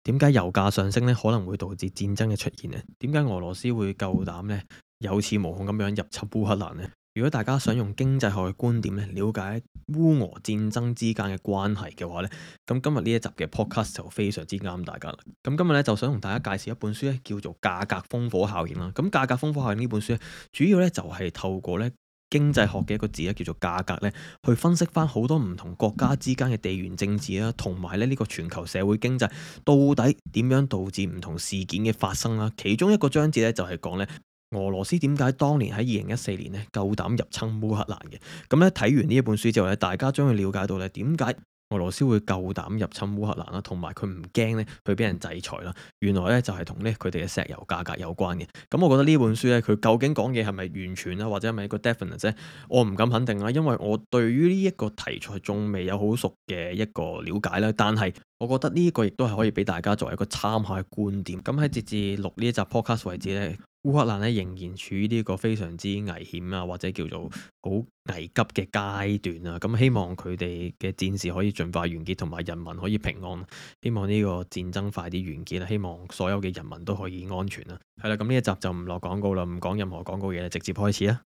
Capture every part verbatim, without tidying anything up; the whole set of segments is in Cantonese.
點解油價上升咧可能會導致戰爭嘅出現呢？點解俄羅斯會夠膽咧有恃無恐咁樣入侵烏克蘭呢？如果大家想用經濟學嘅觀點咧了解烏俄戰爭之間嘅關係嘅話咧，咁今日呢一集嘅 podcast 就非常之啱大家啦。咁今日咧就想同大家介紹一本書咧，叫做《價格烽火效應》啦。咁價格烽火效應呢本書咧，主要咧就係透過咧經濟學嘅一個字咧，叫做價格咧，去分析翻好多唔同國家之間嘅地緣政治啦，同埋咧呢個全球社會經濟到底點樣導致唔同事件嘅發生啦。其中一個章節咧就係講咧俄羅斯點解當年喺二零一四年咧夠膽入侵烏克蘭嘅。咁咧睇完呢一本書之後咧，大家將會了解到咧點解俄羅斯會夠膽入侵烏克蘭啦，同埋佢唔驚咧去俾人制裁啦。原來咧就係同咧佢哋嘅石油價格有關嘅。咁我覺得呢本書咧，佢究竟講嘅係咪完全啊，或者係咪一個 definite 啫？我唔敢肯定啦，因為我對於呢一個題材仲未有好熟嘅一個了解啦。但係我覺得呢一個亦都係可以俾大家作為一個參考嘅觀點。咁喺截至錄呢一集 podcast 為止咧，烏克蘭咧仍然處於呢個非常之危險啊，或者叫做好危急嘅階段啊。咁希望佢哋嘅戰事可以盡快完結，同埋人民可以平安。希望呢個戰爭快啲完結啦，希望所有嘅人民都可以安全啦。係啦，咁呢一集就唔落廣告啦，唔講任何廣告嘢，直接開始啦。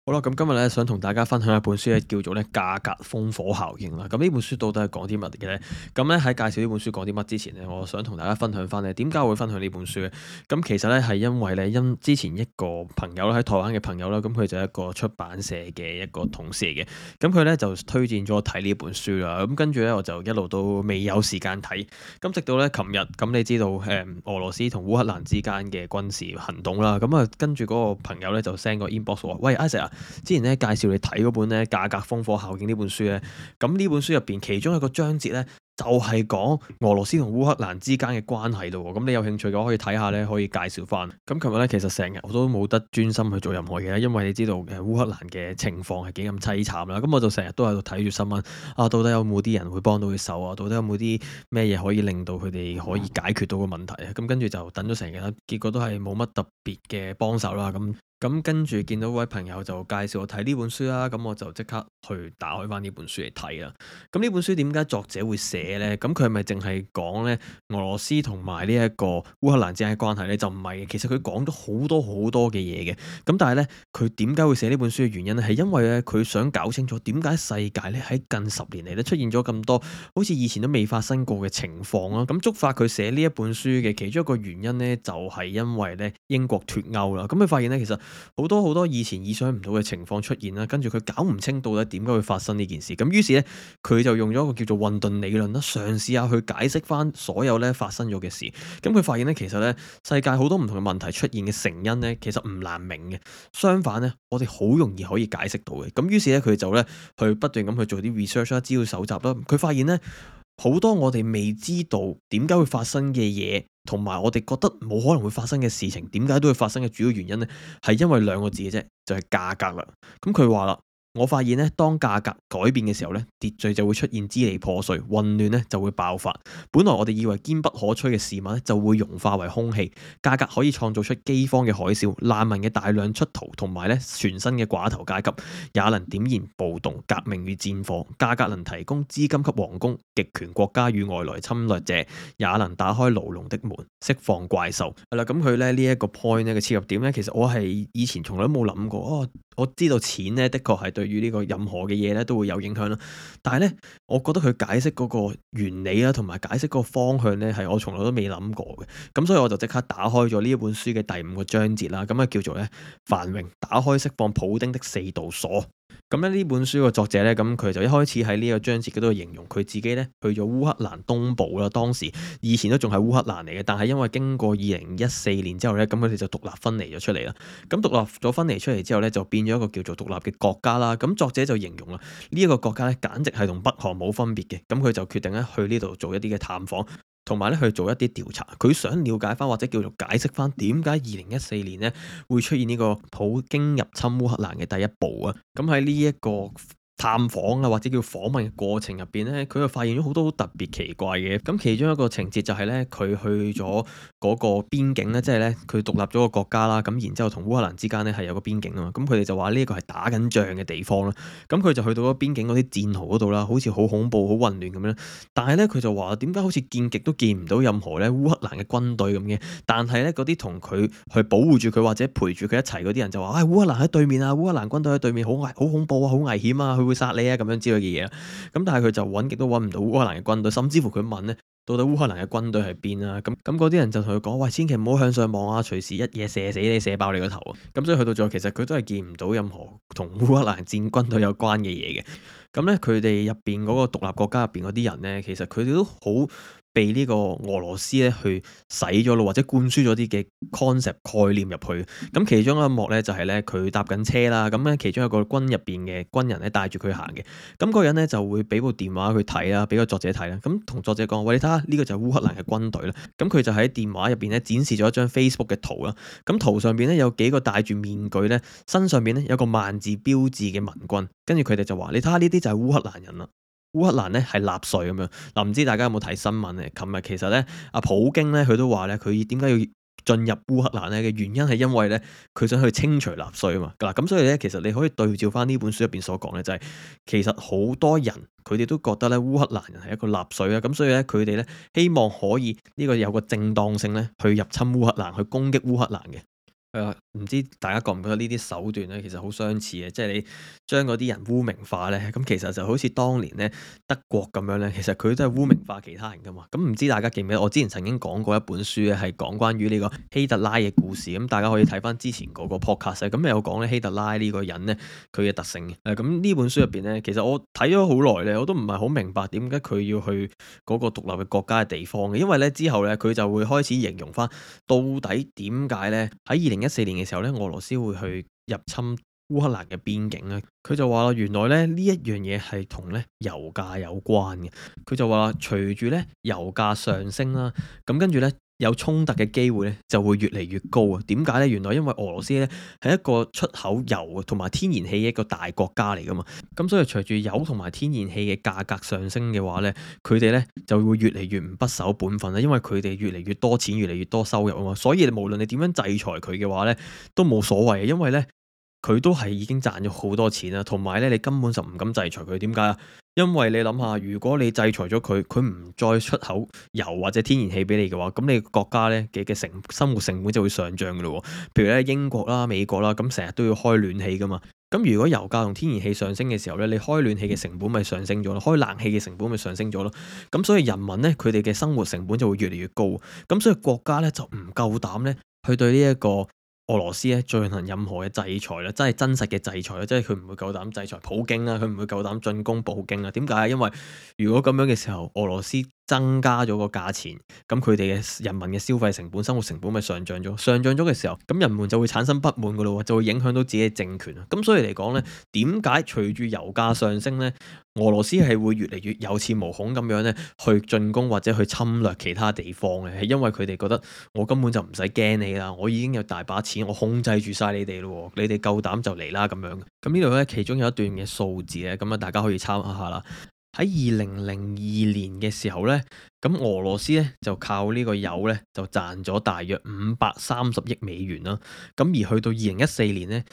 好啦，咁今日咧想同大家分享一本書咧，叫做咧價格烽火效應啦。咁呢本書到底係講啲乜嘅咧？咁咧喺介紹呢本書講啲乜之前咧，我想同大家分享翻咧點解會分享呢本書咧？咁其實咧係因為咧因之前一個朋友啦，喺台灣嘅朋友啦，咁佢就係一個出版社嘅一個同事嚟嘅。咁佢咧就推薦咗我睇呢本書啦。咁跟住咧我就一路都未有時間睇。咁直到咧琴日，咁你知道誒俄羅斯同烏克蘭之間嘅軍事行動啦。咁啊跟住嗰個朋友咧就 send 個 inbox 話：喂，Isaac 啊！之前咧介紹你睇嗰本咧價格烽火效應呢本書咧，咁呢本書入邊其中一個章節咧就係講俄羅斯同烏克蘭之間嘅關係咯。咁你有興趣嘅話可以睇下咧，可以介紹翻。咁琴日咧其實成日我都冇得專心去做任何嘢，因為你知道誒烏克蘭嘅情況係幾咁凄慘啦。咁我就成日都喺度睇住新聞啊，到底有冇啲人會幫到佢手啊？到底有冇啲咩嘢可以令到佢哋可以解決到個問題啊？咁跟住就等咗成日啦，結果都係冇乜特別嘅幫手啦。咁咁跟住見到位朋友就介紹我睇呢本書啦，咁我就即刻去打開翻呢本書嚟睇啦。咁呢本書點解作者會寫呢？咁佢係咪淨係講咧俄羅斯同埋呢一個烏克蘭之間嘅關係呢？就唔係嘅，其實佢講咗好多好多嘅嘢嘅。咁但係呢，佢點解會寫呢本書嘅原因呢？係因為咧佢想搞清楚點解世界咧喺近十年嚟咧出現咗咁多好似以前都未發生過嘅情況啦。咁觸發佢寫呢一本書嘅其中一個原因呢，就係因為咧英國脫歐啦。咁佢發現呢，其實好多好多以前意想唔到嘅情況出現啦，跟住佢搞唔清到底點解會發生呢件事，咁於是咧佢就用咗一個叫做混沌理論啦，嘗試下去解釋翻所有咧發生咗嘅事。咁佢發現咧，其實咧世界好多唔同嘅問題出現嘅成因咧，其實唔難明嘅，相反咧我哋好容易可以解釋到嘅。咁於是咧佢就咧去不斷咁去做啲 research 啦，資料搜集啦，佢發現咧好多我哋未知道點解會發生嘅嘢，同埋我哋覺得冇可能會發生嘅事情，點解都會發生嘅主要原因呢，係因為兩個字嘅啫，就係價格啦。咁佢話啦，我發現咧，當價格改變嘅時候咧，秩序就會出現支離破碎，混亂咧就會爆發。本來我哋以為堅不可摧嘅事物咧，就會融化為空氣。價格可以創造出饑荒嘅海嘯、難民嘅大量出逃，同埋咧全新嘅寡頭階級，也能點燃暴動、革命與戰火。價格能提供資金給皇宮、極權國家與外來侵略者，也能打開牢籠的門，釋放怪獸。係啦，咁佢咧呢一個 point 咧嘅切入點咧，其實我係以前從來都冇諗過。哦，我知道錢咧的確係對於呢個任何嘅嘢咧都會有影響啦，但係咧，我覺得佢解釋嗰個原理啦，同埋解釋嗰個方向咧，係我從來都未諗過嘅。咁所以我就即刻打開咗呢一本書嘅第五個章節啦，咁啊叫做咧繁榮，打開釋放普丁的四道鎖。咁咧呢本書嘅作者咧，咁佢就一開始喺呢個章節嗰度形容佢自己咧去咗烏克蘭東部啦，當時以前都仲係烏克蘭嚟嘅，但係因為經過二零一四年之後咧，咁佢哋就獨立分離咗出嚟啦。咁獨立咗分離出嚟之後咧，就變咗一個叫做獨立嘅國家啦。咁作者就形容啦，呢一個國家咧簡直係同北韓冇分別嘅。咁佢就決定咧去呢度做一啲嘅探訪。同埋咧去做一啲調查，佢想了解翻或者叫做解釋翻點解二零一四年咧會出現呢個普京入侵烏克蘭嘅第一步啊！咁喺呢一個探訪啊或者叫訪問嘅過程入邊咧，佢就發現咗好多好特別奇怪嘅。咁其中一個情節就係咧，佢去咗嗰個邊境咧，即係咧佢獨立咗個國家啦。咁然之後同烏克蘭之間咧係有個邊境啊嘛。咁佢哋就話呢一個係打緊仗嘅地方啦。咁佢就去到嗰邊境嗰啲戰壕嗰度啦，好似好恐怖、好混亂咁樣。但係咧佢就話點解好似見極都見唔到任何咧烏克蘭嘅軍隊咁嘅？但係咧嗰啲同佢去保護住佢或者陪住佢一齊嗰啲人就話：唉、哎，烏克蘭喺對面啊，烏克蘭軍隊喺對面，好危、好恐怖啊，好危險啊，佢會殺你啊咁樣之類嘅嘢啊。咁但係佢就揾極都揾唔到烏克蘭嘅軍隊，甚至乎佢問咧。到底烏克蘭嘅軍隊喺邊啊？咁咁嗰啲人就同佢講：喂，千祈唔好向上望啊！隨時一嘢射死你，射爆你個頭啊！咁所以去到最後，其實佢都係見唔到任何同烏克蘭戰軍隊有關嘅嘢嘅。咁咧，佢哋入邊嗰個獨立國家入邊嗰啲人咧，其實佢哋都好被呢個俄羅斯咧去洗咗咯，或者灌輸咗啲嘅 concept 概念入去。咁其中一幕咧就係咧佢搭緊車啦，咁咧其中一個軍入邊嘅軍人咧帶住佢行嘅。咁嗰個人咧就會俾部電話佢睇啦，俾個作者睇啦。咁同作者講：喂，你睇下呢個就係烏克蘭嘅軍隊啦。咁佢就喺電話入邊咧展示咗一張 Facebook 嘅圖啦。咁圖上邊咧有幾個戴住面具咧，身上邊咧有個萬字標誌嘅盟軍。跟住佢哋就話：你睇下呢啲就係烏克蘭人啦。烏克蘭咧係納粹咁樣。嗱，唔知大家有冇睇新聞咧？琴日其實咧，阿普京咧佢都話咧，佢點解要進入烏克蘭咧嘅原因係因為咧，佢想去清除納粹啊嘛。嗱，咁所以咧，其實你可以對照翻呢本書入邊所講咧，就係、是、其實好多人佢哋都覺得咧烏克蘭人係一個納粹啊。咁所以咧，佢哋咧希望可以呢個有個正當性咧去入侵烏克蘭，去攻擊烏克蘭嘅。係啊，唔知大家覺唔覺得呢啲手段咧，其實好相似嘅，即係你將嗰啲人污名化咧，咁其實就好似當年咧德國咁樣咧，其實佢都係污名化其他人噶嘛。咁唔知大家記唔記得？我之前曾經講過一本書咧，係講關於呢個希特拉嘅故事。咁大家可以睇翻之前嗰個 podcast，咁有講咧希特拉呢個人咧佢嘅特性嘅。誒，咁呢本書入邊咧，其實我睇咗好耐咧，我都唔係好明白點解佢要去嗰個獨立嘅國家嘅地方嘅。因為咧之後咧佢就會開始形容翻到底點解咧喺二零一四年嘅時候咧，俄羅斯會去入侵烏克蘭嘅邊境咧。佢就話原來咧呢一樣嘢係同咧油價有關嘅。佢就話隨住咧油價上升啦，咁跟住咧有衝突嘅機會咧就會越嚟越高啊。點解咧？原來因為俄羅斯咧係一個出口油同埋天然氣嘅一個大國家嚟噶嘛。咁所以隨住油同埋天然氣嘅價格上升嘅話咧，佢哋咧就會越嚟越唔不守本分啦。因為佢哋越嚟越多錢，越嚟越多收入啊嘛。所以無論你點樣制裁佢嘅話咧，都冇所謂嘅，因為咧佢都係已經賺咗好多錢啦。同埋咧，你根本就唔敢制裁佢。點解啊？因為你諗下，如果你制裁咗佢，佢唔再出口油或者天然氣俾你嘅話，咁你國家咧嘅嘅成生活成本就會上漲噶咯。譬如咧英國啦、美國啦，咁成日都要開暖氣噶嘛。咁如果油價同天然氣上升嘅時候咧，你開暖氣嘅成本咪上升咗咯，開冷氣嘅成本咪上升咗咯。咁所以人民咧佢哋嘅生活成本就會越嚟越高。咁所以國家咧就唔夠膽咧去對呢一個俄羅斯咧進行任何嘅制裁啦，真係真實嘅制裁啦，即係佢唔會夠膽制裁普京啦，佢唔會夠膽進攻普京啦。點解？因為如果咁樣嘅時候，俄羅斯增加咗個價錢，咁佢哋嘅人民嘅消費成本、生活成本咪上漲咗？上漲咗嘅時候，咁人們就會產生不滿噶咯，就會影響到自己嘅政權啊。咁所以嚟講咧，點解隨住油價上升咧，俄羅斯係會越嚟越有恃無恐咁樣咧去進攻或者去侵略其他地方嘅？係因為佢哋覺得我根本就唔使驚你啦，我已經有大把錢，我控制住晒你哋咯，你哋夠膽就嚟啦咁樣。咁呢度咧其中有一段嘅數字咧，咁啊大家可以參考下啦。喺二零零二年嘅時候呢，咁俄羅斯咧就靠呢個油咧就賺咗大約五百三十億美元啦。咁而去到二零一四年呢，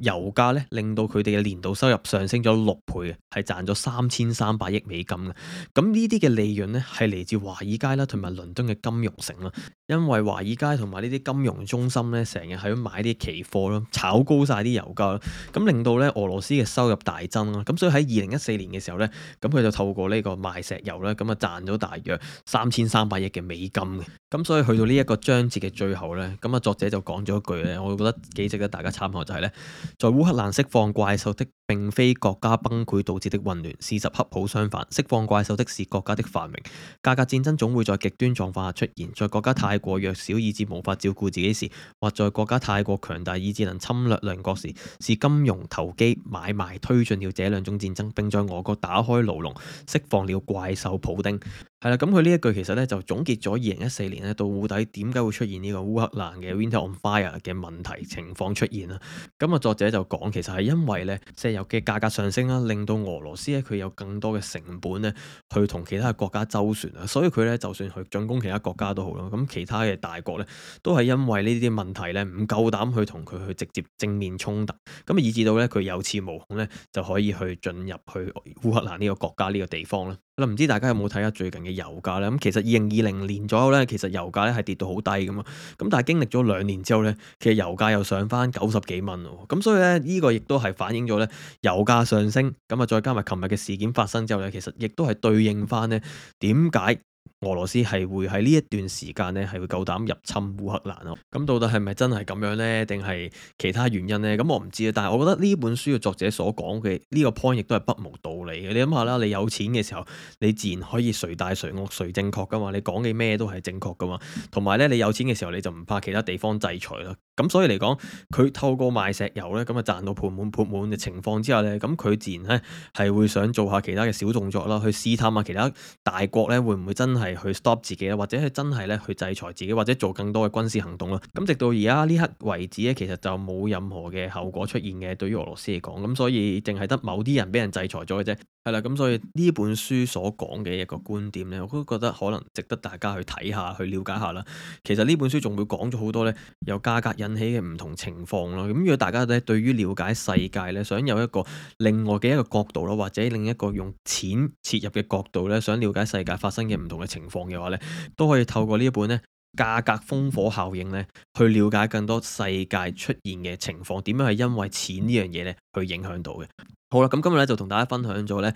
油價咧令到佢哋嘅年度收入上升咗六倍嘅，係賺咗三千三百億美金嘅。咁呢啲嘅利潤咧係嚟自華爾街啦，同埋倫敦嘅金融城啦。因為華爾街同埋呢啲金融中心咧，成日喺度買啲期貨咯，炒高晒啲油價，咁令到咧俄羅斯嘅收入大增啦。咁所以喺二零一四年嘅時候咧，咁佢就透過呢個賣石油咧，咁啊賺咗大約三千三百億嘅美金嘅。咁所以去到呢一個章節嘅最後咧，咁啊作者就講咗一句咧，我覺得幾值得大家參考，就係咧，在烏克蘭釋放怪獸的並非國家崩潰導致的混亂，事實恰好相反，釋放怪獸的是國家的繁榮。價格戰爭總會在極端狀況下出現，在國家太過弱小以致無法照顧自己時，或在國家太過強大以致能侵略鄰國時，是金融投機買賣推進了這兩種戰爭，並在俄國打開牢籠，釋放了怪獸普丁。係啦，咁佢呢一句其實咧就總結咗二零一四年咧到底點解會出現呢個烏克蘭嘅 Winter on Fire 嘅問題情況出現啦。咁啊作者就講其實係因為咧石油嘅價格上升啦，令到俄羅斯咧佢有更多嘅成本咧去同其他嘅國家周旋啊，所以佢咧就算去進攻其他國家都好啦，咁其他嘅大國咧都係因為呢啲問題咧唔夠膽去同佢去直接正面衝突，咁以至到咧佢有恃無恐咧就可以去進入去烏克蘭呢個國家呢個地方啦。唔知大家有冇睇下最近嘅油價咧？咁其實二零二零年左右咧，其實油價咧係跌到好低㗎嘛。咁但係經歷咗兩年之後咧，其實油價又上返九十幾蚊喎。咁所以咧，呢個亦都係反映咗咧油價上升。咁啊，再加埋琴日嘅事件發生之後咧，其實亦都係對應返咧點解俄羅斯係會喺呢一段時間咧係會夠膽入侵烏克蘭咯。咁到底係咪真係咁樣呢？定係其他原因呢？咁我唔知啊。但係我覺得呢本書嘅作者所講嘅呢個 point 亦都係不無道理嘅。你諗下啦，你有錢嘅時候，你自然可以誰大誰惡誰正確噶嘛？你講嘅咩都係正確噶嘛？同埋咧，你有錢嘅時候你就唔怕其他地方制裁啦。咁所以嚟講，佢透過賣石油咧，咁啊賺到盆滿缽滿嘅情況之下咧，咁佢自然咧係會想做下其他嘅小動作啦，去試探下其他大國咧會唔會真係去 stop 自己啦，或者係真係咧去制裁自己，或者做更多嘅軍事行動啦。咁直到而家呢刻為止咧，其實就冇任何嘅後果出現嘅，對於俄羅斯嚟講，咁所以淨係得某啲人俾人制裁咗嘅啫。係啦，咁所以呢本書所講嘅一個觀點咧，我都覺得可能值得大家去睇下，去了解下啦。其實呢本書仲會講咗好多咧，由價格引起嘅唔同情況咯。咁如果大家咧對於了解世界咧，想有一個另外嘅一個角度咯，或者另一個用錢切入嘅角度咧，想了解世界發生嘅唔同嘅情況嘅話咧，都可以透過呢一本咧價格烽火效應咧，去了解更多世界出現嘅情況，點樣係因為錢呢樣嘢咧去影響到嘅。好啦，咁今日咧就同大家分享咗咧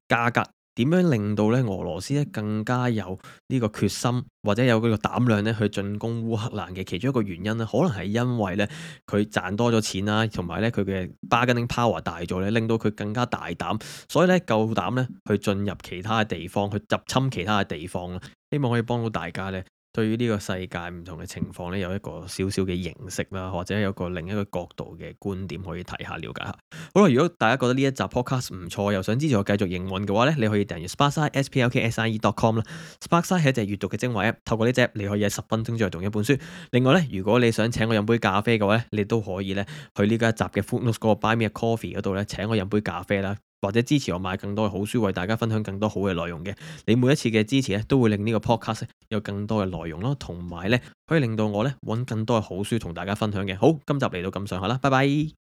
價格點樣令到咧俄羅斯咧更加有呢個決心或者有嗰個膽量咧去進攻烏克蘭嘅其中一個原因咧，可能係因為咧佢賺多咗錢啦，同埋咧佢嘅 bargaining power 大咗咧，令到佢更加大膽，所以咧夠膽咧去進入其他嘅地方，去入侵其他嘅地方啦。希望可以幫到大家咧，對於呢個世界唔同嘅情況咧，有一個少少嘅認識啦，或者有個另一個角度嘅觀點可以睇下、了解下。好啦，如果大家覺得呢一集 podcast 唔錯，又想支持我繼續營運嘅話咧，你可以訂閱 Sparkside s p l k s i e dot com 啦。Sparkside 係一隻閱讀嘅精華 app，透過呢隻你可以喺十分鐘之內讀一本書。另外咧，如果你想請我飲杯咖啡嘅話咧，你都可以咧去呢個一集嘅 Footnotes 嗰個 Buy Me a Coffee 嗰度咧請我飲杯咖啡啦。或者支持我買更多嘅好書，為大家分享更多好嘅內容嘅。你每一次嘅支持咧，都會令呢個 podcast 有更多嘅內容咯，同埋咧可以令到我咧揾更多嘅好書同大家分享嘅。好，今集嚟到咁上下啦，拜拜。